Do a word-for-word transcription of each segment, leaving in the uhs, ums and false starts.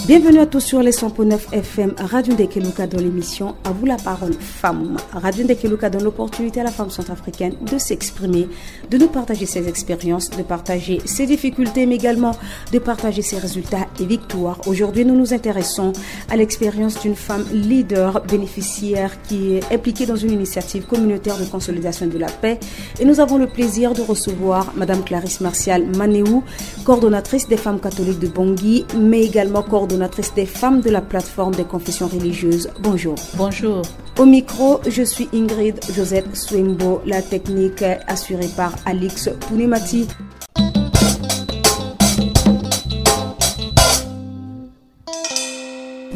Bienvenue à tous sur les cent point neuf F M Radio Ndekeluka dans l'émission À vous la parole femme. Radio Ndekeluka donne l'opportunité à la femme centrafricaine de s'exprimer, de nous partager ses expériences, de partager ses difficultés, mais également de partager ses résultats et victoires. Aujourd'hui, nous nous intéressons à l'expérience d'une femme leader bénéficiaire qui est impliquée dans une initiative communautaire de consolidation de la paix. Et nous avons le plaisir de recevoir Madame Clarisse Martial Manéou, coordonnatrice des femmes catholiques de Bangui, mais également coordonnatrice des femmes de la plateforme des confessions religieuses. Bonjour. Bonjour. Au micro, je suis Ingrid Josette Swembo, la technique assurée par Alix Pounemati.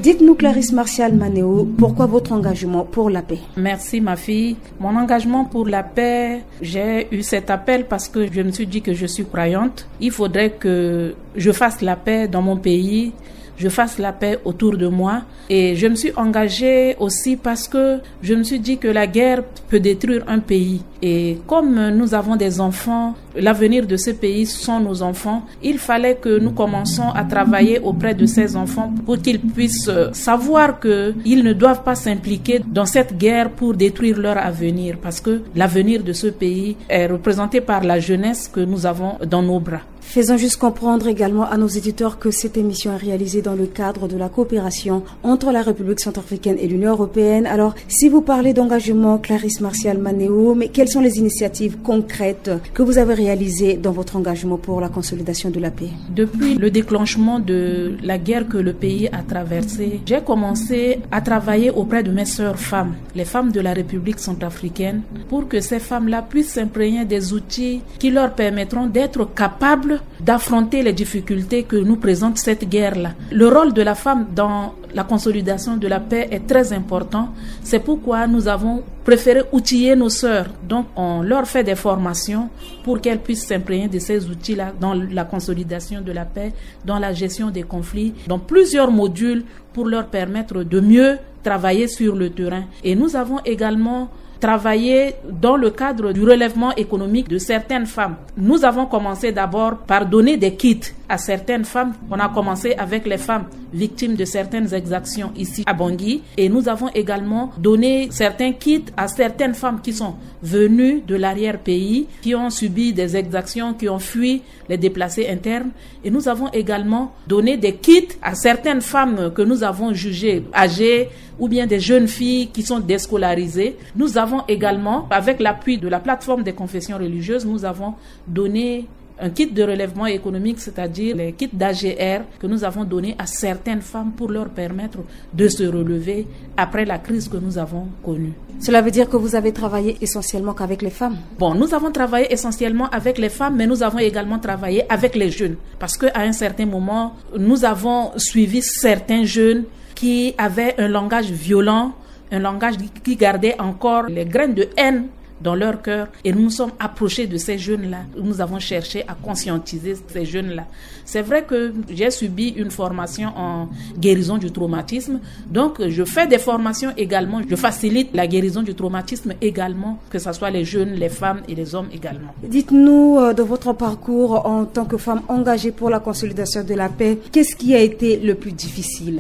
Dites-nous, Clarisse Martial Manéo, pourquoi votre engagement pour la paix ? Merci, ma fille. Mon engagement pour la paix, j'ai eu cet appel parce que je me suis dit que je suis croyante. Il faudrait que je fasse la paix dans mon pays, je fasse la paix autour de moi. Et je me suis engagée aussi parce que je me suis dit que la guerre peut détruire un pays. Et comme nous avons des enfants, l'avenir de ce pays sont nos enfants, il fallait que nous commençons à travailler auprès de ces enfants pour qu'ils puissent, euh, savoir qu'ils ne doivent pas s'impliquer dans cette guerre pour détruire leur avenir, parce que l'avenir de ce pays est représenté par la jeunesse que nous avons dans nos bras. Faisons juste comprendre également à nos éditeurs que cette émission est réalisée dans le cadre de la coopération entre la République centrafricaine et l'Union européenne. Alors, si vous parlez d'engagement, Clarisse Martial Manéo, mais quelles sont les initiatives concrètes que vous avez réalisées dans votre engagement pour la consolidation de la paix ? Depuis le déclenchement de la guerre que le pays a traversée, j'ai commencé à travailler auprès de mes sœurs femmes, les femmes de la République centrafricaine, pour que ces femmes-là puissent s'imprégner des outils qui leur permettront d'être capables d'affronter les difficultés que nous présente cette guerre-là. Le rôle de la femme dans la consolidation de la paix est très important. C'est pourquoi nous avons préféré outiller nos sœurs. Donc, on leur fait des formations pour qu'elles puissent s'imprégner de ces outils-là dans la consolidation de la paix, dans la gestion des conflits, dans plusieurs modules pour leur permettre de mieux travailler sur le terrain. Et nous avons également travaillé dans le cadre du relèvement économique de certaines femmes. Nous avons commencé d'abord par donner des kits à certaines femmes. On a commencé avec les femmes victimes de certaines exactions ici à Bangui. Et nous avons également donné certains kits à certaines femmes qui sont venues de l'arrière-pays, qui ont subi des exactions, qui ont fui les déplacés internes. Et nous avons également donné des kits à certaines femmes que nous avons jugées âgées ou bien des jeunes filles qui sont déscolarisées. Nous avons également, avec l'appui de la plateforme des confessions religieuses, nous avons donné un kit de relèvement économique, c'est-à-dire les kits d'A G R que nous avons donnés à certaines femmes pour leur permettre de se relever après la crise que nous avons connue. Cela veut dire que vous avez travaillé essentiellement qu'avec les femmes ? Bon, nous avons travaillé essentiellement avec les femmes, mais nous avons également travaillé avec les jeunes. Parce qu'à un certain moment, nous avons suivi certains jeunes qui avaient un langage violent, un langage qui gardait encore les graines de haine dans leur cœur. Et nous nous sommes approchés de ces jeunes-là. Nous avons cherché à conscientiser ces jeunes-là. C'est vrai que j'ai subi une formation en guérison du traumatisme. Donc, je fais des formations également. Je facilite la guérison du traumatisme également, que ce soit les jeunes, les femmes et les hommes également. Dites-nous, euh, de votre parcours en tant que femme engagée pour la consolidation de la paix, qu'est-ce qui a été le plus difficile ?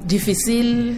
Difficile,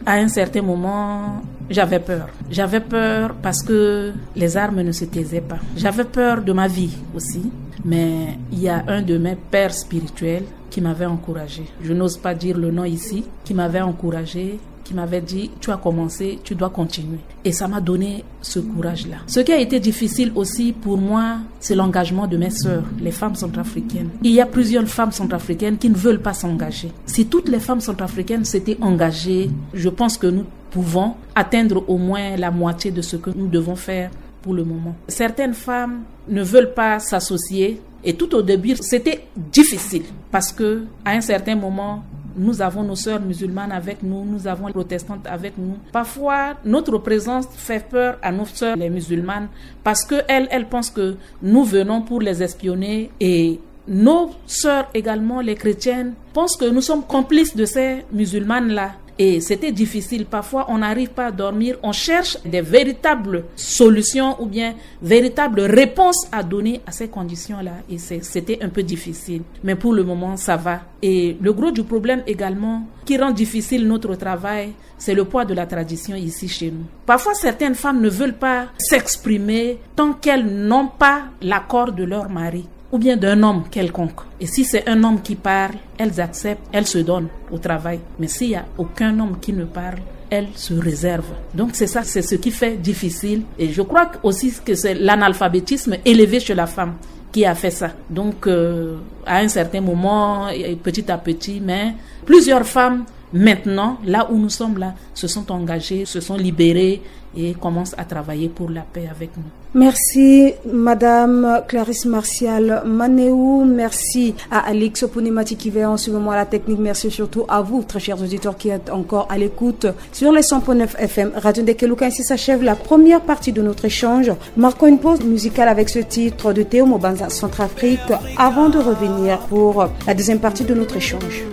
à un certain moment, j'avais peur. J'avais peur parce que les armes ne se taisaient pas. J'avais peur de ma vie aussi. Mais il y a un de mes pères spirituels qui m'avait encouragée. Je n'ose pas dire le nom ici, qui m'avait encouragée, qui m'avait dit : « Tu as commencé, tu dois continuer. » Et ça m'a donné ce courage-là. Ce qui a été difficile aussi pour moi, c'est l'engagement de mes sœurs, les femmes centrafricaines. Il y a plusieurs femmes centrafricaines qui ne veulent pas s'engager. Si toutes les femmes centrafricaines s'étaient engagées, je pense que nous pouvons atteindre au moins la moitié de ce que nous devons faire pour le moment. Certaines femmes ne veulent pas s'associer. Et tout au début, c'était difficile parce que, à un certain moment, nous avons nos sœurs musulmanes avec nous, nous avons les protestantes avec nous. Parfois, notre présence fait peur à nos sœurs les musulmanes parce que elles, elles pensent que nous venons pour les espionner, et nos sœurs également, les chrétiennes, pensent que nous sommes complices de ces musulmanes-là. Et c'était difficile. Parfois, on n'arrive pas à dormir. On cherche des véritables solutions ou bien véritables réponses à donner à ces conditions-là. Et c'est, c'était un peu difficile. Mais pour le moment, ça va. Et le gros du problème également, qui rend difficile notre travail, c'est le poids de la tradition ici chez nous. Parfois, certaines femmes ne veulent pas s'exprimer tant qu'elles n'ont pas l'accord de leur mari ou bien d'un homme quelconque. Et si c'est un homme qui parle, elles acceptent, elles se donnent au travail. Mais s'il n'y a aucun homme qui ne parle, elles se réservent. Donc c'est ça, c'est ce qui fait difficile. Et je crois aussi que c'est l'analphabétisme élevé chez la femme qui a fait ça. Donc, euh, à un certain moment, et petit à petit, mais plusieurs femmes, maintenant, là où nous sommes là, se sont engagées, se sont libérées et commencent à travailler pour la paix avec nous. Merci, Madame Clarisse Martial Manéou. Merci à Alix Opunemati qui veille en ce moment à la technique. Merci surtout à vous, très chers auditeurs, qui êtes encore à l'écoute sur les cent point neuf F M Radio Ndekeluka. Ainsi s'achève la première partie de notre échange. Marquons une pause musicale avec ce titre de Théo Mobanza, Centrafrique, avant de revenir pour la deuxième partie de notre échange.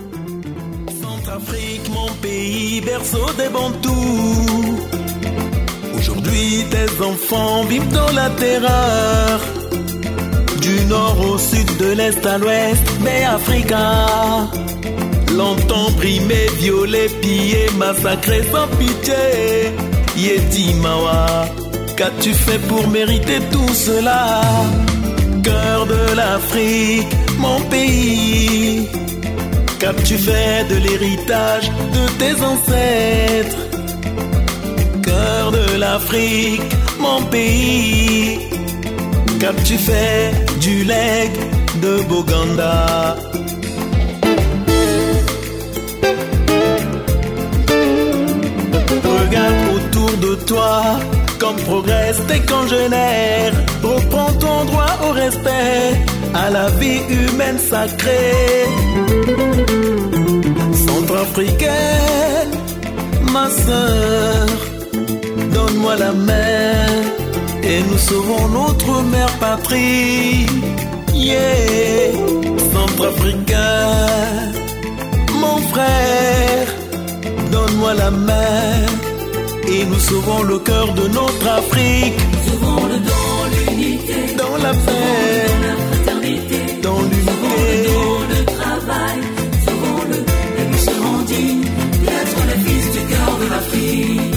Centrafrique, mon pays, berceau des Bantous. Aujourd'hui, tes enfants vivent dans la terreur. Du nord au sud, de l'est à l'ouest, Bêafrika. Longtemps brimé, violé, pillé, massacré sans pitié. Yeti Mawa, qu'as-tu fait pour mériter tout cela ? Cœur de l'Afrique, mon pays, qu'as-tu fait de l'héritage de tes ancêtres ? Cœur de l'Afrique, mon pays, qu'as-tu fait du legs de Boganda ? Regarde autour de toi, comme progressent tes congénères. Reprends ton droit au respect, à la vie humaine sacrée. Centrafricaine, ma sœur, donne-moi la main et nous sauvons notre mère patrie. Yeah, Centrafricain, mon frère, donne-moi la main et nous sauvons le cœur de notre Afrique. Sauvons-le dans l'unité, dans la paix, dans la fraternité, dans l'unité, sauvons-le dans le travail, sauvons-le et nous serons dignes d'être les fils du cœur de l'Afrique.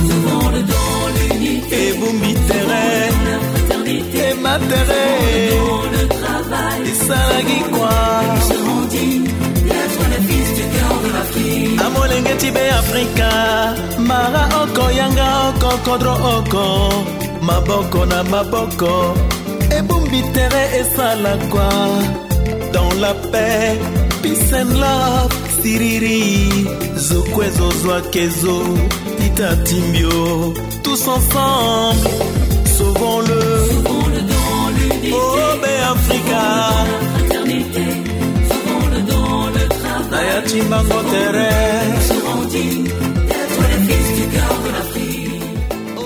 Sauvons-le dans l'unité, ebumbi tere, dans la fraternité, ema tere, dans le travail, esalaki kua. Nous serons dignes d'être les fils du cœur de l'Afrique. Amolenge ti Bêafrika, mara oko, yanga oko, kodro oko, maboko na maboko, ebumbi tere, esala kua. Dans la paix, peace and love, siriri, zo kue zo zo ake zo, tita timbio. Tous ensemble, sauvons-le. Sauvons-le dans l'unité. Oh, Bêafrika. Dans la fraternité, sauvons-le dans le travail. Na ya ti mbango tere. Nous serons dignes d'être les fils du cœur de l'Afrique.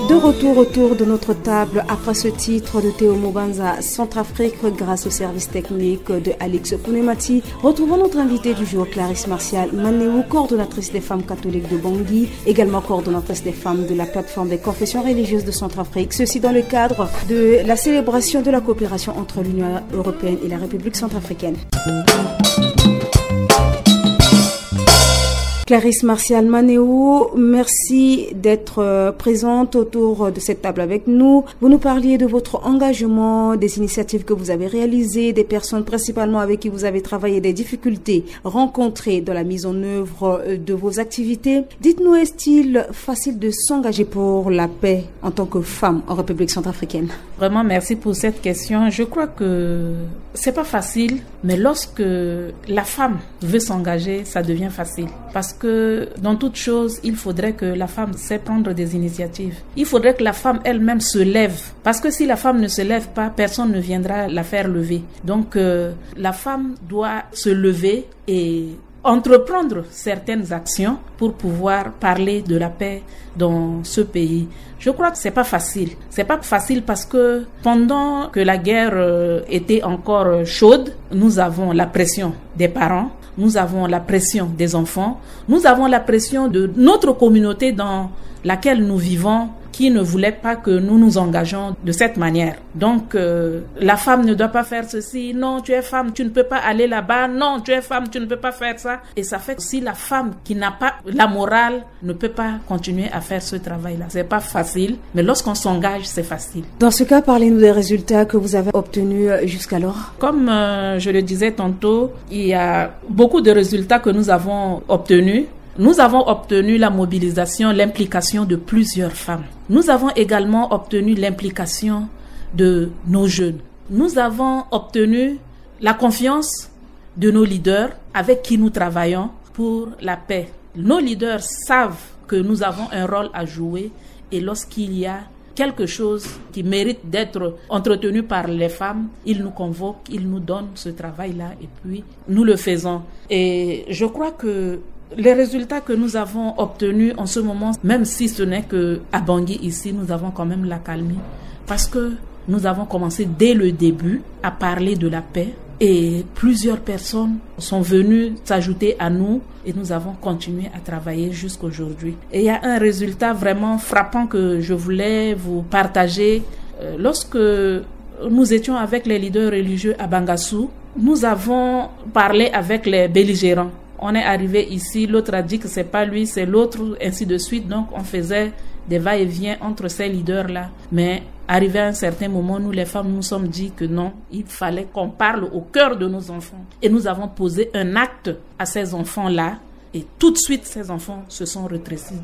De retour autour de notre table après ce titre de Théo Mobanza, Centrafrique, grâce au service technique de Alix Pounemati. Retrouvons notre invitée du jour, Clarisse Martial Manéou, coordonnatrice des femmes catholiques de Bangui, également coordonnatrice des femmes de la plateforme des confessions religieuses de Centrafrique. Ceci dans le cadre de la célébration de la coopération entre l'Union européenne et la République centrafricaine. Clarisse Martial Manéou, merci d'être, euh, présente autour de cette table avec nous. Vous nous parliez de votre engagement, des initiatives que vous avez réalisées, des personnes principalement avec qui vous avez travaillé, des difficultés rencontrées dans la mise en œuvre, euh, de vos activités. Dites-nous, est-il facile de s'engager pour la paix en tant que femme en République centrafricaine ? Vraiment, merci pour cette question. Je crois que c'est pas facile, mais lorsque la femme veut s'engager, ça devient facile. Parce que dans toute chose, il faudrait que la femme sait prendre des initiatives. Il faudrait que la femme elle-même se lève. Parce que si la femme ne se lève pas, personne ne viendra la faire lever. Donc, euh, la femme doit se lever et entreprendre certaines actions pour pouvoir parler de la paix dans ce pays. Je crois que c'est pas facile. C'est pas facile parce que pendant que la guerre, euh, était encore chaude, nous avons la pression des parents. Nous avons la pression des enfants, nous avons la pression de notre communauté dans laquelle nous vivons, qui ne voulait pas que nous nous engageons de cette manière. Donc, euh, la femme ne doit pas faire ceci. Non, tu es femme, tu ne peux pas aller là-bas. Non, tu es femme, tu ne peux pas faire ça. Et ça fait que si la femme qui n'a pas la morale ne peut pas continuer à faire ce travail-là, c'est pas facile. Mais lorsqu'on s'engage, c'est facile. Dans ce cas, parlez-nous des résultats que vous avez obtenus, euh, jusqu'alors. Comme, euh, je le disais tantôt, il y a beaucoup de résultats que nous avons obtenus. Nous avons obtenu la mobilisation, l'implication de plusieurs femmes. Nous avons également obtenu l'implication de nos jeunes. Nous avons obtenu la confiance de nos leaders avec qui nous travaillons pour la paix. Nos leaders savent que nous avons un rôle à jouer et lorsqu'il y a quelque chose qui mérite d'être entretenu par les femmes, ils nous convoquent, ils nous donnent ce travail-là et puis nous le faisons. Et je crois que les résultats que nous avons obtenus en ce moment, même si ce n'est que à Bangui ici, nous avons quand même l'accalmie parce que nous avons commencé dès le début à parler de la paix et plusieurs personnes sont venues s'ajouter à nous et nous avons continué à travailler jusqu'aujourd'hui. Et il y a un résultat vraiment frappant que je voulais vous partager. Euh, lorsque nous étions avec les leaders religieux à Bangassou, nous avons parlé avec les belligérants. On est arrivé ici, l'autre a dit que c'est pas lui, c'est l'autre, ainsi de suite. Donc on faisait des va-et-vient entre ces leaders-là. Mais arrivé à un certain moment, nous les femmes, nous nous sommes dit que non, il fallait qu'on parle au cœur de nos enfants. Et nous avons posé un acte à ces enfants-là. Et tout de suite, ces enfants se sont rétrécis.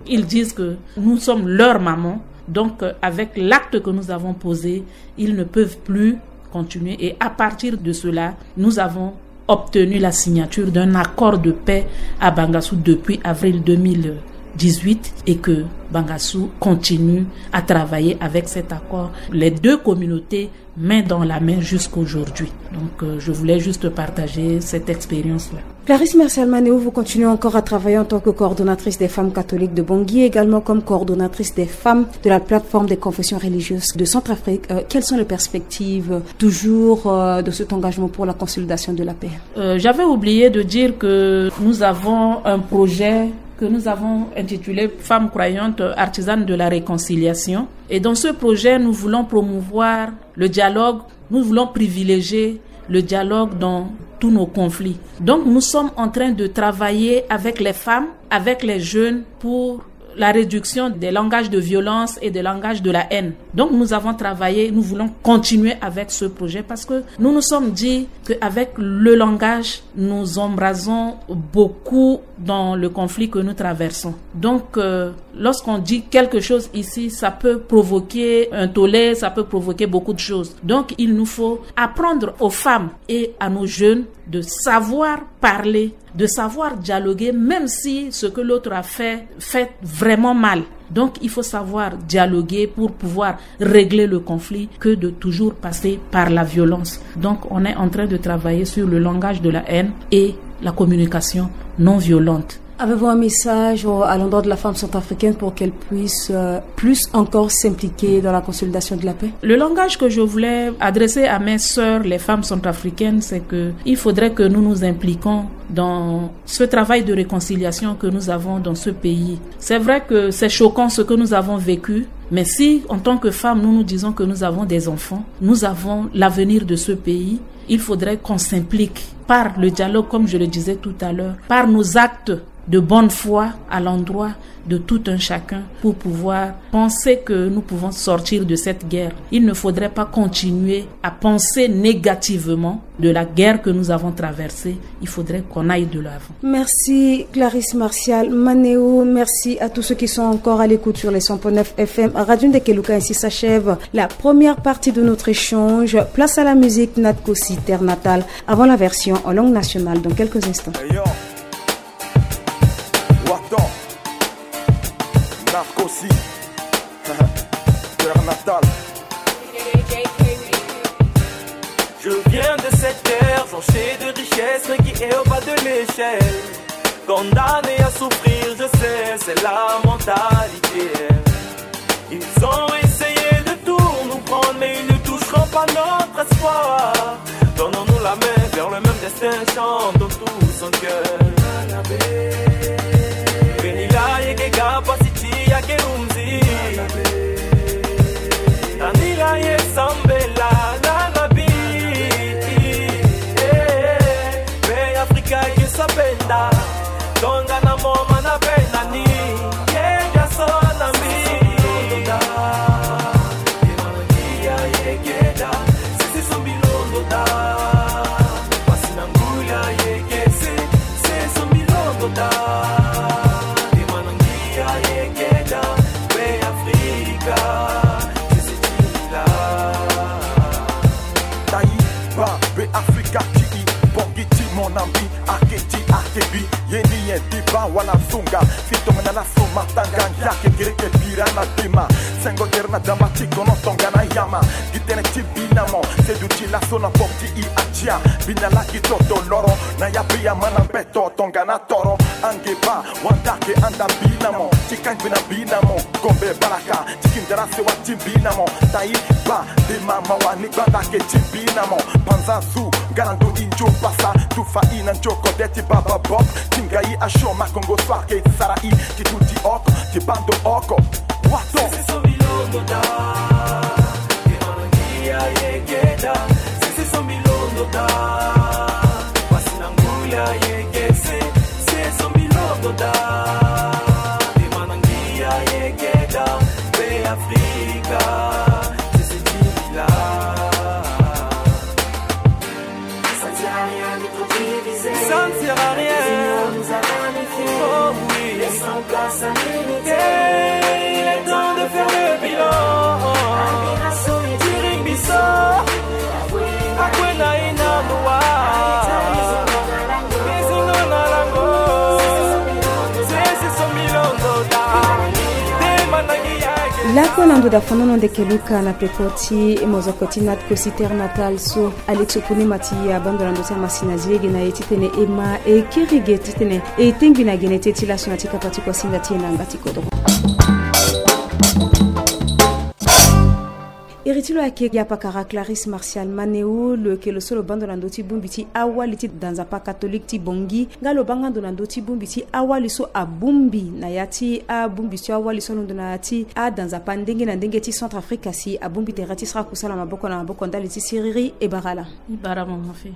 Ils disent que nous sommes leur maman. Donc, euh, avec l'acte que nous avons posé, ils ne peuvent plus continuer. Et à partir de cela, nous avons obtenu la signature d'un accord de paix à Bangassou depuis avril deux mille dix-huit et que Bangassou continue à travailler avec cet accord. Les deux communautés main dans la main jusqu'aujourd'hui. Donc, euh, je voulais juste partager cette expérience-là. Clarisse Martial Manéo, vous continuez encore à travailler en tant que coordonnatrice des femmes catholiques de Bangui, également comme coordonnatrice des femmes de la plateforme des confessions religieuses de Centrafrique. Euh, quelles sont les perspectives, euh, toujours, euh, de cet engagement pour la consolidation de la paix ? Euh, j'avais oublié de dire que nous avons un projet que nous avons intitulé Femmes croyantes, artisanes de la réconciliation. Et dans ce projet, nous voulons promouvoir le dialogue, nous voulons privilégier le dialogue dans tous nos conflits. Donc nous sommes en train de travailler avec les femmes, avec les jeunes pour la réduction des langages de violence et des langages de la haine. Donc nous avons travaillé, nous voulons continuer avec ce projet parce que nous nous sommes dit qu'avec le langage, nous embrasons beaucoup dans le conflit que nous traversons. Donc, euh, lorsqu'on dit quelque chose ici, ça peut provoquer un tollé, ça peut provoquer beaucoup de choses. Donc, il nous faut apprendre aux femmes et à nos jeunes de savoir parler, de savoir dialoguer, même si ce que l'autre a fait fait vraiment mal. Donc, il faut savoir dialoguer pour pouvoir régler le conflit que de toujours passer par la violence. Donc, on est en train de travailler sur le langage de la haine et la communication non violente. Avez-vous un message, euh, à l'endroit de la femme centrafricaine pour qu'elle puisse, euh, plus encore s'impliquer dans la consolidation de la paix ? Le langage que je voulais adresser à mes sœurs, les femmes centrafricaines, c'est que il faudrait que nous nous impliquions dans ce travail de réconciliation que nous avons dans ce pays. C'est vrai que c'est choquant ce que nous avons vécu, mais si, en tant que femmes, nous nous disons que nous avons des enfants, nous avons l'avenir de ce pays, il faudrait qu'on s'implique par le dialogue, comme je le disais tout à l'heure, par nos actes de bonne foi à l'endroit de tout un chacun pour pouvoir penser que nous pouvons sortir de cette guerre. Il ne faudrait pas continuer à penser négativement de la guerre que nous avons traversée. Il faudrait qu'on aille de l'avant. Merci Clarisse Martial Manéo, merci à tous ceux qui sont encore à l'écoute sur les cent point neuf F M. Radio Ndekeluka, ainsi s'achève la première partie de notre échange. Place à la musique, Natkosi, Terre Natale, avant la version en langue nationale dans quelques instants. Hey yo, Waton, Natkosi, Terre Natale. Je viens de cette terre jonchée de richesses, mais qui est au bas de l'échelle. Condamné à souffrir, je sais, c'est la mentalité. Ils ont essayé de tout nous prendre, mais ils ne toucheront pas notre espoir. Tendons-nous la main vers le même destin, chantons tous en cœur. Beni la yeke ga pasi ti yake lumzi. Tani la ye sambela la na bi. Eh, be Afrika ye sabenda. Tongana moma na be na ni. Ye ga so na mbi. Taï, ba, be Afrika ti i, bongi ti mo na mbi, ake ti ake bi, ye ni ye di ba wala zunga, si tongana la so matanga, ngia kekereke bira na dema, sengo tere na damba ti kono tongana yama, gi tënë ti bi na mo, se duti laso na pop ti i atia, bi na la gi toto loro, na ya bi ya ma na beto tongana toro, ange ba, wanda ke anda bi na mo, ti kangbi na bi na mo, gombe balaka, ti kindara sewa ti bi na mo, taï ba, de ma ma wa ni gbanda ke ti bi na mo, panza zu, nga na ndo i njo pasa, tufa i na njo kode ti baba bop, ti nga i asio ma kongo so ake sara i, ti tu ti oko, ti bando oko, wato. Ça ne sert à rien. Oh oui. Hey, il est temps de faire le bilan. Tiring biso. Akwena ina loi. Bizingo na lango. Sese so milongo da. Dema na ngi yake. Lako na ndo da fonono ndeke luka na peko ti mozoko ti nat kosi terre natale so. Alex Opone Mati abando na ndo ti amasina zi lege na e titene e ma e kirige titene e tengbi na gene ti e ti laso na ti kapa ti kuasinga ti e na yanga ti kodro. Iri ti lo ayeke gi apakara Clarisse Martial Manéou, lo yeke lo so lo bando na ndö ti bongbi ti awali ti da nzapa catholique ti Bangui, nga lo banga ndo na ndö ti bongbi ti awali so abongbi na ya ti abongbi ti awali so alondo na ya ti ada nzapa ndenge na ndenge ti Centrafrique, si abongbi tere ti sara kusala maboko na maboko ndali ti siriri e bara ala.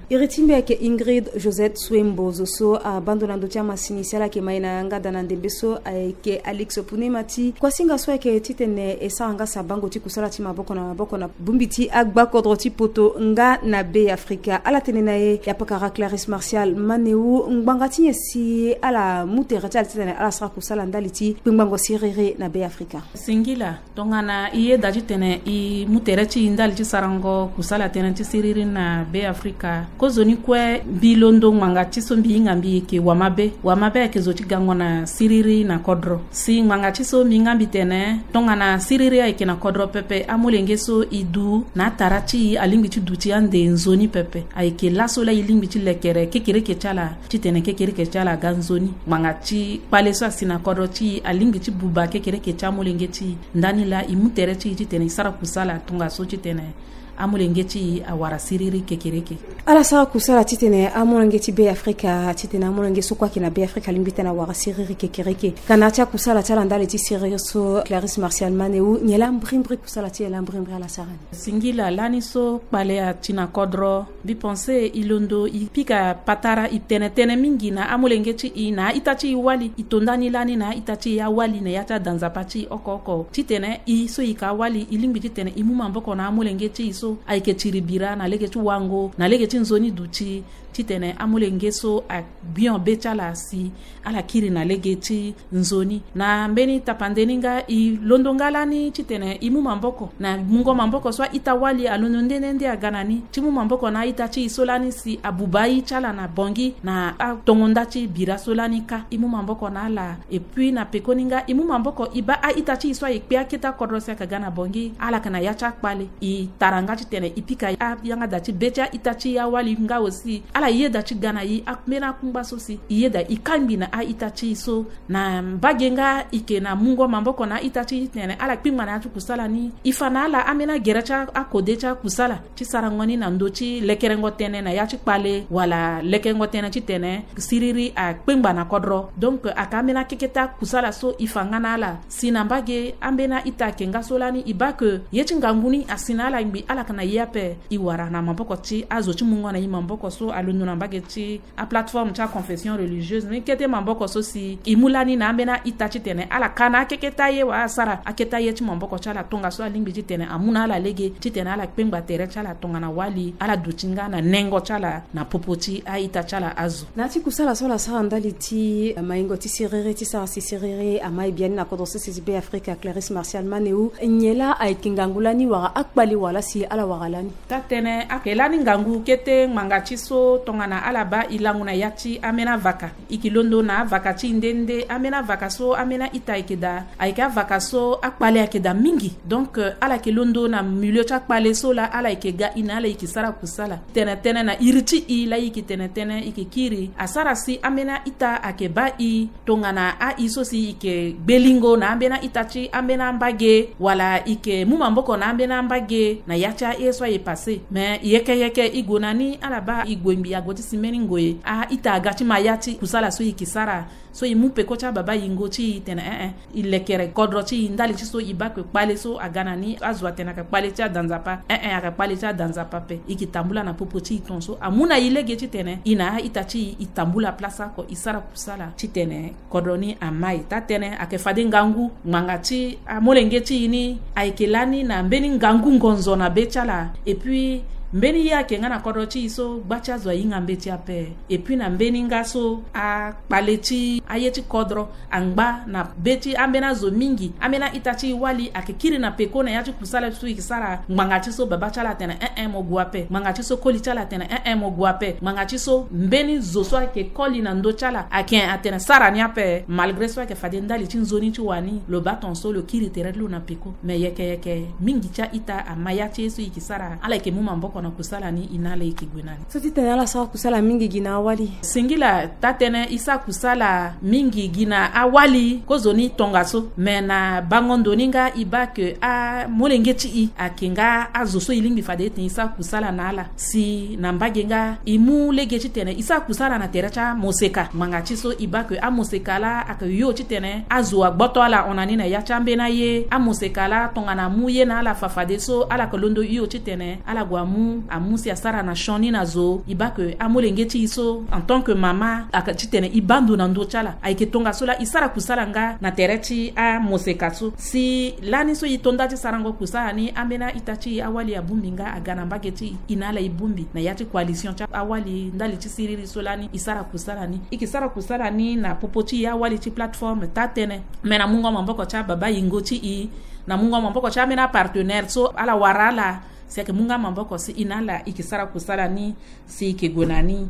Iri ti mbi ayeke Ingrid Josette Swembo, zo so abando na ndö ti amasini si ala yeke ma e na yanga da na ndembe so ayeke Alex Opone Mati. Kuasinga so ayeke titene e sara nga si abango ti kusala ti maboko na maboko na bongbi ti agbakodro ti poto nga na Be Afrika. Ala tene na e, ya pakara Clarisse Martial Manéou, ngbanga ti nyen si ala mu tere ti ala titene ala sara kusala ndali ti kpengbango siriri na Be Afrika? Singila. Tongana i yeda titene i mu tere ti i ndali ti sarango kusala tënë ti siriri na Be Afrika, kozoni kue mbi londo ngbanga ti so mbi hinga mbi yeke wamabe. Wamabe ayeke zo ti gango na siriri na kodro. Si ngbanga ti so mbi hinga mbi tene tongana siriri ayeke na kodro pepe, amolenge so e du na atara ti e alingbi ti duti ande nzoni pepe. Ayeke laso laa e lingbi ti lekere kekereke ti ala titene kekereke ti ala aga nzoni. Ngbanga ti kpale so asi na kodro ti e alingbi ti buba kekereke ti amolenge ti e. Ndani laa e mu tere ti e titene e sara kusala tongaso titene amolenge ti e awara siriri kekereke. Ala sara kusala titene amolenge ti Be Afrika, titene amolenge so kue ayeke na Be Afrika alingbi titene awara siriri kekereke. Ka na ya ti akusala ti ala ndali ti siriri so, Clarisse Martial Manéou, nyen laa mbrimbri kusala ti e laa mbrimbri ala sara ni? Singila, lani so kpale ati na kodro, mbi pense e londo e pika patara, e tene tënë mingi na amolenge ti e na a-ita ti e wali. E to ndani lani na a-ita ti e awali na ya ti ada nzapa ti e oko oko titene e so e yeke awali, e lingbi titene e mu maboko na amolenge ti e so ayeke tiri bira na lege ti wango, na lege ti nzoni duti, titene amolenge so agbio be ti ala si ala kiri na lege ti nzoni. Na mbeni tapande ni nga, e londo nga lani titene e mu maboko na mungo maboko so a-ita wali alondo nde nde nde aga na ni, ti mu maboko na a-ita ti e so lani si abuba aye ti ala na Bangui na atongo nda ti bira so lani kâ. E mu maboko na ala. Et puis na pekoni nga, e mu maboko e baa a-ita ti e so aye kpe akete akodro si ayeke ga na Bangui, ala yeke na ya ti akpale. E tara nga titene e pika ayanga da ti be ti a-ita ti awali nga aussi ala yeda ti ga na e ambeni akungba so si e yeda e kangbi na a-ita ti e so. Na mbage nga e ke na mungo maboko na a-ita ti e titene ala kpingba na ya ti kusala ni, e fa na ala ambeni agere ti akode ti akusala ti sarango ni na ndö ti lekerengo tënë na ya ti kpale wala lekerengo tënë titene siriri akpengba na kodro. Donc ayeke ambeni akeke ti akusala so e fa nga na ala. Si na mbage ambeni a-ita ayeke nga so lani e baa ke ye ti ngangu ni asi na ala ngbi, ala yeke na e ape. E wara na maboko ti azo ti mungo na e maboko so alondo na mbage ti aplateforme ti aconfession religieuse ni kete maboko so si e mu lani na ambeni a-ita titene ala ka na akeke ti aye wala asara akete aye ti maboko ti ala tongaso alingbi titene amu na ala lege titene ala kpengba tere ti ala tongana wali, ala duti nga na nengo ti ala na popo ti a-ita ti ala azo. Na ya ti kusala so ala sara ndali ti maingo ti siriri ti sara si siriri amai biani na kodro sese ti Be Afrika, Clarisse Martial Manéou, nyen laa ayeke ngangu lani wala akpale wala si ala wara lani? Taa-tënë, ayeke lani ngangu kete ngbanga ti so tongana ala baa e langu na ya ti ambeni avaka. E ke londo na avaka ti e nde nde, ambeni avaka so ambeni a-ita ayeke daa, ayeke avaka so akpale ayeke daa mingi. Donc ala yeke londo na milieu ti akpale so laa ala yeke ga e na ala e ke sara kusala. Tene tënë na iri ti e laa e yeke tene tënë e ke kiri asara si ambeni a-ita ayeke baa e tongana a-i so si e ke gbelingo na ambeni a-ita ti ambeni ambage wala e ke mu maboko na ambeni ambage na ya ti aye so aye passé. Me yeke yeke e gue na ni ala baa e gue ngbi ague ti si mbeni ngoi a-ita aga ti ma ya ti kusala so e ke sara. So e mu peko ti ababa yingo ti e tene ee, e lekere kodro ti e ndali ti so e baa ke kpale so aga na ni azo atene ayeke kpale ti ada Nzapa. Ee, ayeke kpale ti ada Nzapa ape. E ke tambula na popo ti e tongaso amu na e lege titene e na a-ita ti e e tambula place oko e sara kusala titene kodro ni amai. Taa-tënë, ayeke fade ngangu ngbanga ti amolenge ti e ni ayeke lani na mbeni ngangu ngonzo na be ti ala. Et puis mbeni ye ayeke nga na kodro ti e so gba ti azo ahinga mbeti ape. Et puis na mbeni nga so akpale ti aye ti kodro angba na be ti ambeni azo mingi, ambeni a-ita ti e wali ayeke kiri na peko na ya ti kusala so e ke sara. Ngbanga ti so baba ti ala atene ee, mo gue ape. Ngbanga ti so koli ti ala atene ee, mo gue ape. Ngbanga ti so mbeni zo so ayeke koli na ndö ti ala ayeke atene sara ni ape. Malgré so ayeke fade ndali ti nzoni ti wani, lo baa tongaso lo kiri tere ti lo na peko. Me yeke yeke mingi ti a-ita ama ya ti ye so e ke sara, ala yeke mu maboko na kusala ni, e na ala e ke gue na ni. So titene ala sara kusala mingi gi na awali? Singila, taa-tënë, e sara kusala mingi gi na awali kozoni tongaso. Me na bango ndo ni nga e baa ke amolenge ti e ayeke nga azo so e lingbi fade ete e sara kusala na ala. Si na mbage nga e mu lege titene e sara kusala na tere ti amoseka. Ngbanga ti so e baa ke amoseka laa ayeke hio titene azo agboto ala hon na ni na ya ti ambeni aye. Amoseka laa tongana amu ye na ala fa fadeso ala yeke londo hio titene ala gue amu, amu si asara na sioni na zo. E baa ke amolenge ti e so en tant que mama ayeke titene e baa ndo na ndö ti ala. Ayeke tongaso laa e sara kusala nga na tere ti amoseka so. Si lani so e to nda ti sarango kusala ni, ambeni a-ita ti e awali abongbi nga aga na mbage ti e, e na ala e bongbi na ya ti coalition ti awali ndali ti siriri so lani e sara kusala ni. E ke sara kusala ni na popo ti e awali ti plateforme taa-tënë. Me na mungo maboko ti ababa yingo ti e, na mungo maboko ti ambeni apartenaire so ala wara ala si ayeke mu nga maboko si e na ala e ke sara kusala ni si e ke gue na ni.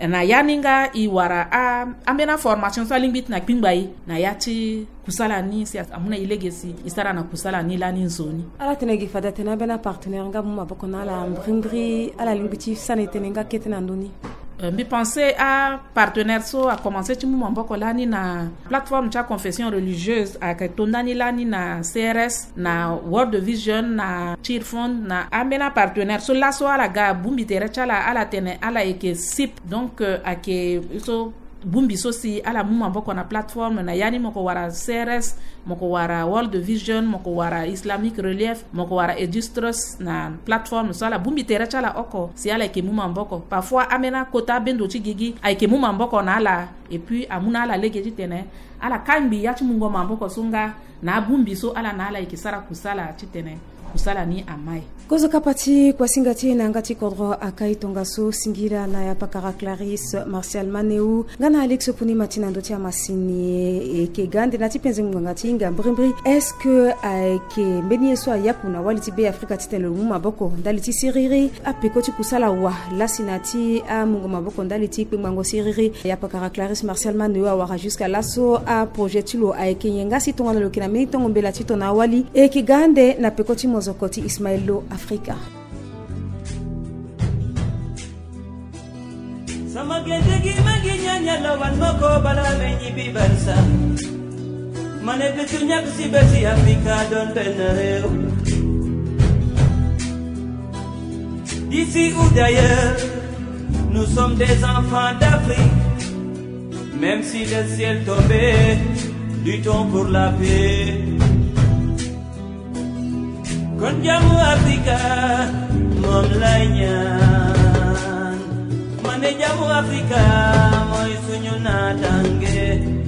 Na ya ni nga e wara a, ambeni aformation so alingbi ti na kpingba e na ya ti kusala ni si amu na e lege si e sara na kusala ni lani nzoni. Ala tene gi fade atene ambeni apartenaire nga amu maboko na ala mbrimbri, ala lingbi ti sani tënë nga kete na ndö ni? Euh, mbi pense apartenaire so akomanse ti mu maboko lani na plateforme ti aconfession religieuse, ayeke to ndani lani na C R S, na World Vision, na Cheer Fund, na ambeni apartenaire so laso ala ga abongbi tere ti ala, ala tene ala yeke sip. Donc euh, ayeke so bongbi so si ala mu maboko na plateforme na ya ni, mo ko wara C R S, mo ko wara World Vision, mo ko wara Islamic Relief, mo ko wara Edus Trust na plateforme so ala bongbi tere ti ala oko si ala yeke mu maboko. Parfois ambeni akota abendo ti gigi ayeke mu maboko na ala, et puis amu na ala lege titene ala kangbi ya ti mungo maboko so nga na abongbi so ala na ala yeke sara kusala titene kusala ni amai. Kozo kapa ti kuasinga ti e na yanga ti kodro akai tongaso. Singila na ya pakara Clarisse Martial Manéou nga na Alex Puni Mati na ndö ti amasini. E ke ga ande na ti penze ngbanga ti hinga mbrimbri. Est-ce que ayeke mbeni ye so ayaku na wali ti Be Afrika titene lo mu maboko ndali ti siriri, apeko ti kusala wa lasi na ti amungo maboko ndali ti kpengbango siriri? Ya pakara Clarisse Martial Manéou awara jusqu'à laso aprojet ti lo ayeke nyen? Nga si tongana lo yeke na mbeni tongo mbela ti tongana awali, e yeke ga ande na peko ti mozoko ti Ismaël Lo Afrika. Nyala wan moko bala me nyibi barsa. Mane bitu nyak si besi Afrika don benareu. D'ici ou d'ailleurs, nous sommes des enfants d'Afrique. Même si le ciel tombait, luttons pour la paix. Kon jamu Afrika, moom lay ñaan. Mane jamu Afrika, mooy suñu naataange.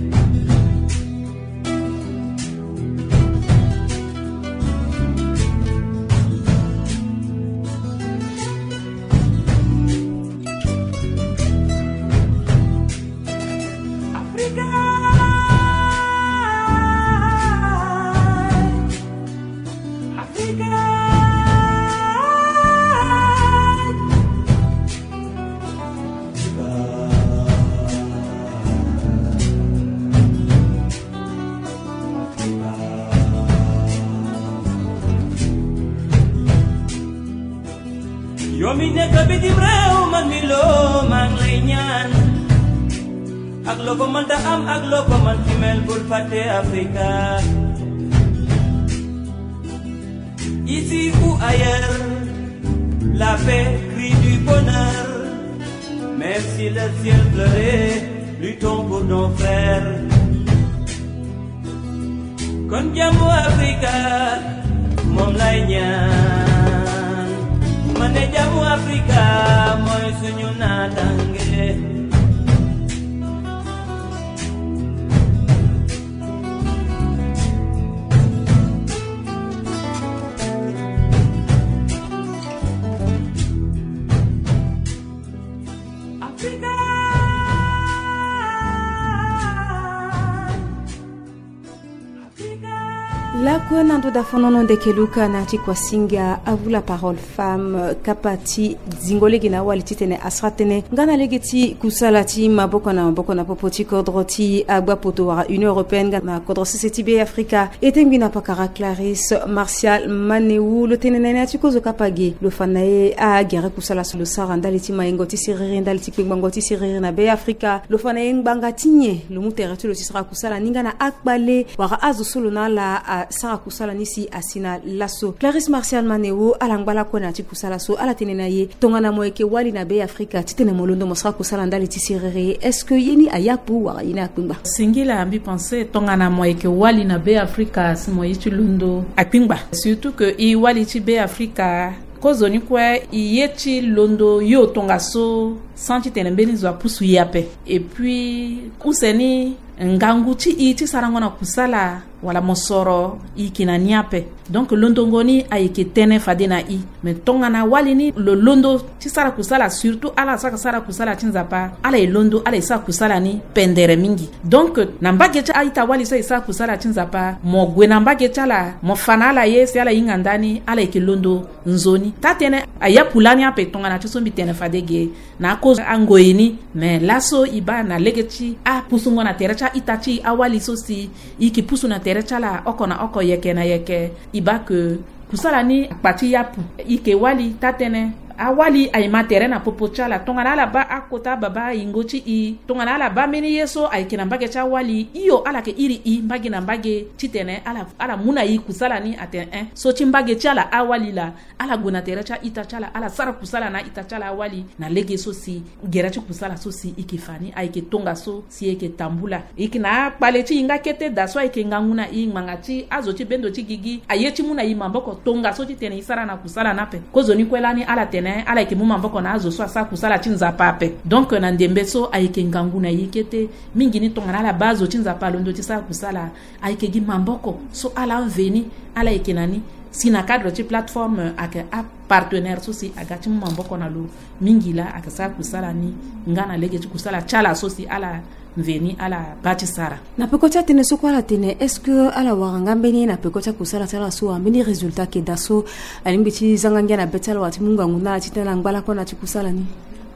Africa. Africa. Yo mi nekk bitim réew, man mi loo, maa ngi lay ñaan. Ak loo ko mënta am, ak loo ko mën ci mel, bul fàtte Afrika. Ici ou ailleurs, la paix crie du bonheur. Même si le ciel pleurait, luttons pour nos frères. Kon jamu Afrika, moom lay ñaan. Mane jamu Afrika, mooy suñu naataange. Africa. Lako na ndo da fonono ndeke luka na ti kuasinga avu la parole femme kapa ti zingo lege na awali titene asara tënë nga na lege ti kusala ti maboko na maboko na popo ti kodro ti agba poto wala Union européenne nga na kodro sese ti be Afrika. E tengbi na pakara Clarisse Martial Manewu lo tene na ye na ya ti kozo kapa ge lo fa na ye agere kusala so lo sara ndali ti maingo ti siriri ndali ti kpengbango ti siriri na be Afrika. Lo fa na ye ngbanga ti nyen lo mu tere ti lo ti sara kusala ni nga na akpale wala azo so lo na ala asara kusala ni si asi na laso. Clarisse Martial Manewu ala ngba lakue na ya ti kusala so ala tene na ye tongana mo yeke wali na be Afrika titene mo londo mo sara kusala ndali ti siriri, est-ce que ye ni ayapu wala ye ni akpengba? Singila mbi pense tongana mo yeke wali na be Afrika si mo ye ti londo akpengba. Surtout que e wali ti be Afrika, kozoni kue e ye ti londo yo tongaso sans titene mbeni zo apusu e ape. Et puis use ni ngangu ti e ti sarango na kusala wala mosoro e yeke na ni ape. Donc londongo ni ayeke tënë fade na e. Mais tongana wali ni lo londo ti sara kusala, surtout ala saka sara kusala ti Nzapa, ala e londo ala e sara kusala ni pendere mingi. Donc na mbage ti a-ita wali so e sara kusala ti Nzapa, mo gue na mbage ti ala, mo fa na ala ye si ala hinga ndani, ala yeke londo nzoni. Taa-tënë ayapu lani ape tongana ti so mbi tene fade ge na akozo angoi ni. Mais laso e baa na lege ti apusungo na tere ti a-ita ti e awali so si e yeke pusu na tere ti ala oko na oko, yeke na yeke, e baa ke kusala ni akpa ti yapu. E yeke wali taa-tënë. Awali aye ma tere na popo ti ala. Tongana ala baa akota baba yingo ti e, tongana ala baa mbeni ye so ayeke na mbage ti awali, hio ala yeke iri e mbage na mbage titene ala, ala mu na e kusala ni atene, eh, so ti mbage ti ala awali laa. Ala gue na tere ti a-ita ti ala, ala sara kusala na a-ita ti ala awali na lege so si gere ti kusala so si e yeke fa ni ayeke tongaso si e yeke tambula. E yeke na akpale ti e nga kete daa so ayeke ngangu na e ngbanga ti azo ti bendo ti gigi aye ti mu na e maboko tongaso titene e sara na kusala ni ape. Kozoni kue lani ala tene ala yeke mu maboko na azo so asara kusala ti Nzapa ape. Donc na ndembe so ayeke ngangu na e kete mingi ni tongana ala baa azo ti Nzapa alondo ti sara kusala, ayeke gi maboko so ala mveni ala yeke na ni. Si na cadre ti plateforme ayeke apartenaire so si aga ti mu maboko na lo mingi laa ayeke sara kusala ni nga na lege ti kusala ti ala so si ala mveni ala baa ti sara. Na peko ti atënë so kue ala tene, est-ce que ala wara nga mbeni ye na peko ti akusala ti ala so wala mbeni résultat ayeke daa so alingbi ti zanga ngia na be ti ala wala ti mu ngangu na ala titene ala ngba lakue na ya ti kusala ni?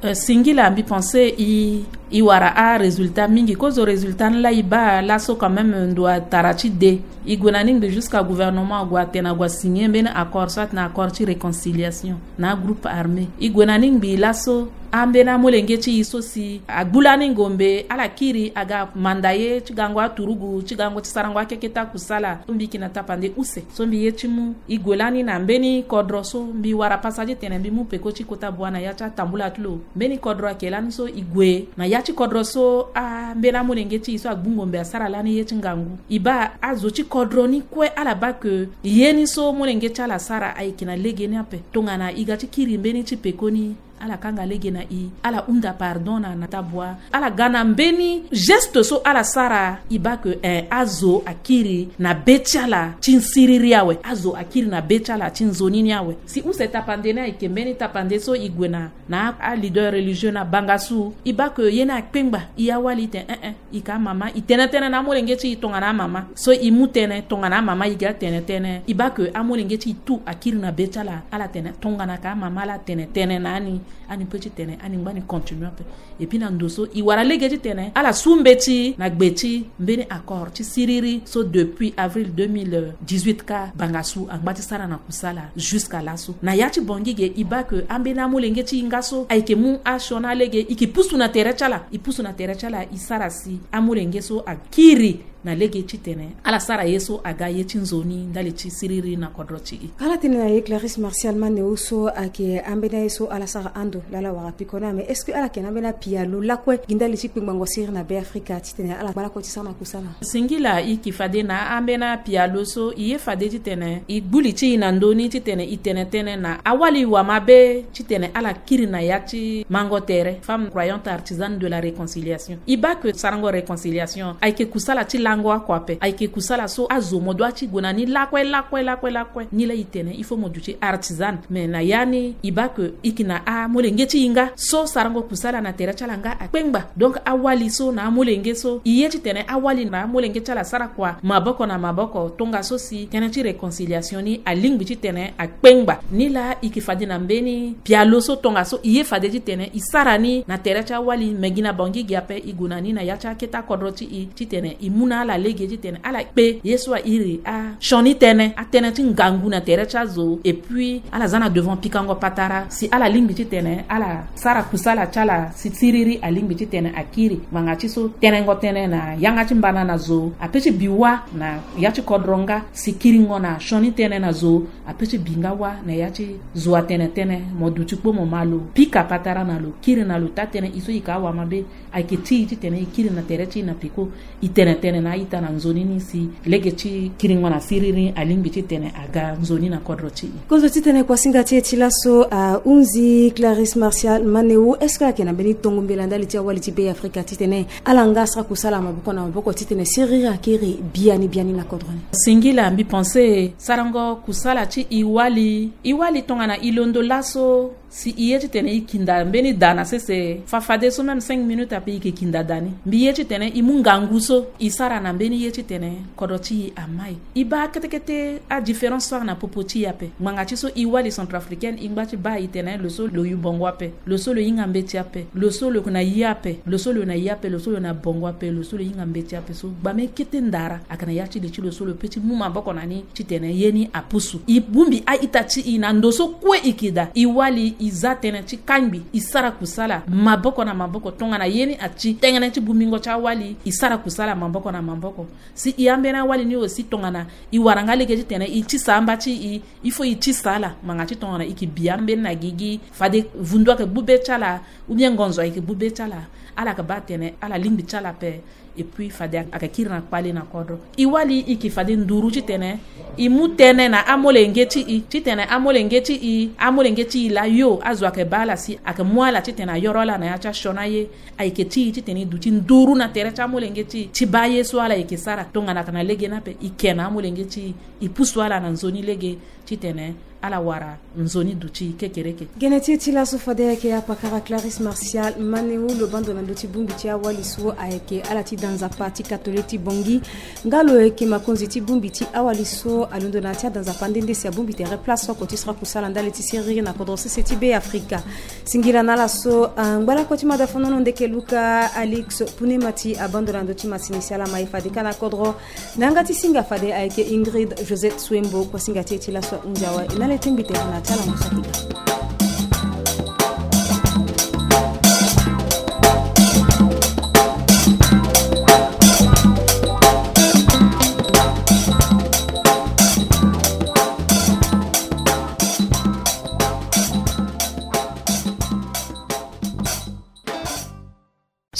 Euh, singila mbi pense e, e wara arésultat mingi. Kozo résultat ni laa e baa laso quand même ndo atara ti de. E gue na ni ngbi jusqu'à gouvernement ague atene ague asigner mbeni accord, soit na accord ti réconciliation na agroupe armé. E gue na ni ngbi laso Ambeni amolenge ti e so si agbu lani ngombe ala kiri aga manda ye ti gango aturugu ti gango ti sarango akeke ti akusala. So mbi yeke na tapande use so mbi ye ti mu e gue lani na mbeni kodro so mbi wara pasa ti tene mbi mu peko ti kota bua na ya ti atambula ti lo. Mbeni kodro ayeke lani so e gue na ya ti kodro so ambeni amolenge ti e so agbu ngombe asara lani ye ti ngangu. E baa azo ti kodro ni kue ala baa ke ye ni so molenge ti ala asara ayeke na lege ni ape. Tongana e ga ti kiri mbeni ti pekoni, ala kanga lege na e, ala hunda pardon na na tabua. Ala ga na mbeni geste so ala sara, e baa ke eh, azo akiri na be ti ala ti siriri awe. Azo akiri na be ti ala ti nzoni ni awe. Si use tapande ni ayeke mbeni tapande so e gue na na aleader religieux na bangasu, e baa ke ye ni akpengba e awali, e tene eh eh. E ka amama, e tene tënë na amolenge ti e tongana amama. So e mu tënë tongana amama, e ga tene tënë. E baa ke amolenge ti e tout akiri na be ti ala, ala tene tongana ka amama ala tene tënë na ani. Ani pe ti tene ani ngba ni continue ape. Et puis na ndo so e wara lege ti tene ala su mbeti na gbe ti mbeni accord ti siriri so depuis avril deux mille dix-huit ka bangasu angba ti sara na kusala jusqu'à laso. Na ya ti Bangui ge, e baa ke ambeni amolenge ti e nga so ayeke mu asioni alege, e yeke pusu na tere ti ala, e pusu na tere ti ala, e sara si amolenge so akiri na lege ti tene ala sara ye so aga ye ti nzoni ndali ti siriri na kodro ti e. Ala tene na ye Clarisse Martial Manéo so ayeke ambeni aye so ala sara ando laa ala wara piko ni, mais est-ce que ala yeke na ambeni apialo lakue gi ndali ti kpengbango siriri na Be Afrika ti tene ala ngba lakue ti sara na kusala? Singila, e yeke fade na ambeni apialo so e ye fade ti tene e gbu li ti e na ndö ni ti tene e tene tënë na awali wamabe ti tene ala kiri na ya ti mango tere, femme croyante artisane de la réconciliation. E baa ke sarango réconciliation ayeke kusala ti lango oko ape, ayeke kusala so azo mo dua ti gue na ni lakue lakue lakue lakue. Ni laa e tene il faut mo duti artisane. Mais na ya ni e baa ke e yeke na amolenge ti e nga so sarango kusala na tere ti ala nga akpengba. Donc awali so na amolenge so e ye ti tene awali na amolenge ti ala asara kua maboko na maboko tongaso si tënë ti réconciliation ni alingbi ti tene akpengba. Ni laa e yeke fade na mbeni pialo so tongaso e ye fade ti tene e sara ni na tere ti awali, me gi na Bangui ge ape e gue na ni na ya ti akete akodro ti e ti tene e mu na ala lege ti tene ala kpe ye so a iri asioni tënë, atënë ti ngangu na tere ti azo. Et puis ala za na devant pikango patara si ala lingbi ti tene ala sara kusala ti ala si siriri alingbi ti tene akiri. Ngbanga ti so tenengo tënë na yanga ti mbana na zo ape ti bi wâ na ya ti kodro nga si kiringo na sioni tënë na zo ape ti bi nga wâ na ya ti zo atene tënë. Mo duti kpo mo ma lo, pika patara na lo, kiri na lo taa-tënë e so e yeke awamabe. Ayeke ti e ti tene e kiri na tere ti e na peko e tene tënë na a-ita na nzoni ni si lege ti kiringo na siriri alingbi ti tene aga nzoni na kodro ti e. Kozo ti tene kuasinga ti e ti laso ahunzi. Clarisse Martial Manéo, est-ce que ayeke na mbeni tongo mbela ndali ti awali ti Be Afrika ti tene ala nga asara kusala maboko na maboko ti tene siriri akiri biani biani na kodro ni? Singila, mbi pense sarango kusala ti e wali, e wali tongana e londo laso si e ye ti tene e kinda mbeni da na sese, fa fadeso même cinq minutes ape e yeke kinda da ni. Mbi ye ti tene e mu ngangu so e sara na mbeni ye ti tene kodro ti e amai. E baa kete kete adifférence so a na popo ti e ape. Ngbanga ti so e wali centrafricaine e ngba ti baa e tene lo so lo yu bongo ape, lo so lo hinga mbeti ape, lo so lo yeke na ye ape, lo so lo na ye ape, lo so lo na bongo ape, lo so lo hinga mbeti ape. So gbame kete ndara ayeke na ya ti li ti lo so lo pe ti mu maboko na ni ti tene ye ni apusu. E bongbi a-ita ti e na ndo so kue e yeke daa. E wali e za tënë ti kangbi, e sara kusala maboko na maboko tongana ye ni ati tengene ti bongbingo ti awali, e sara kusala maboko na maboko. Si e ambeni awali ni aussi tongana e wara nga lege ti tene e tisa amba ti e, il faut e tisa ala. Ngbanga ti tongana e yeke bi ambeni na gigi, fade vundu ayeke gbu be ti ala ou bien ngonzo ayeke gbu be ti ala, ala yeke baa tene ala lingbi ti ala ape. Et puis fade ayeke kiri na kpale na kodro. E wali e yeke fade nduru ti tene e mu tënë na amolenge ti e ti tene amolenge ti e, amolenge ti e layo azo ayeke baa ala si ayeke mu ala ti tene ayoro ala na ya ti asioni aye. Ayeke ti e ti tene e duti nduru na tere ti amolenge ti e ti baa ye so ala yeke sara. Tongana ayeke na lege ni ape e ke na amolenge ti e, e pusu ala na nzoni lege ti tene ala wara nzoni duti kekereke. Gene ti e ti laso fade ayeke apakara Clarisse Martial Manéo, lo bando na ndö ti bongbi ti awali so ayeke ala ti da nzapa ti katolike ti Bangui. Nga lo yeke makonzi ti bongbi ti awali so alondo na ya ti ada nzapa nde nde si abongbi tere place oko ti sara kusala ndali ti siriri na kodro sese ti Be Afrika. Singila na ala so angba lakue ti mada fonono ndeke Luka Alix Punema ti abando na ndö ti masini si ala ma e fade ka na kodro. Na yanga ti singa fade ayeke Ingrid Josette Swembo, kuasinga ti e ti laso ahunzi awe. E na le ti mbi tene na ti ala mo saki daa.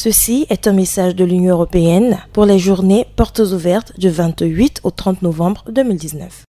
Ceci est un message de l'Union européenne pour les journées portes ouvertes du vingt-huit au trente novembre deux mille dix-neuf.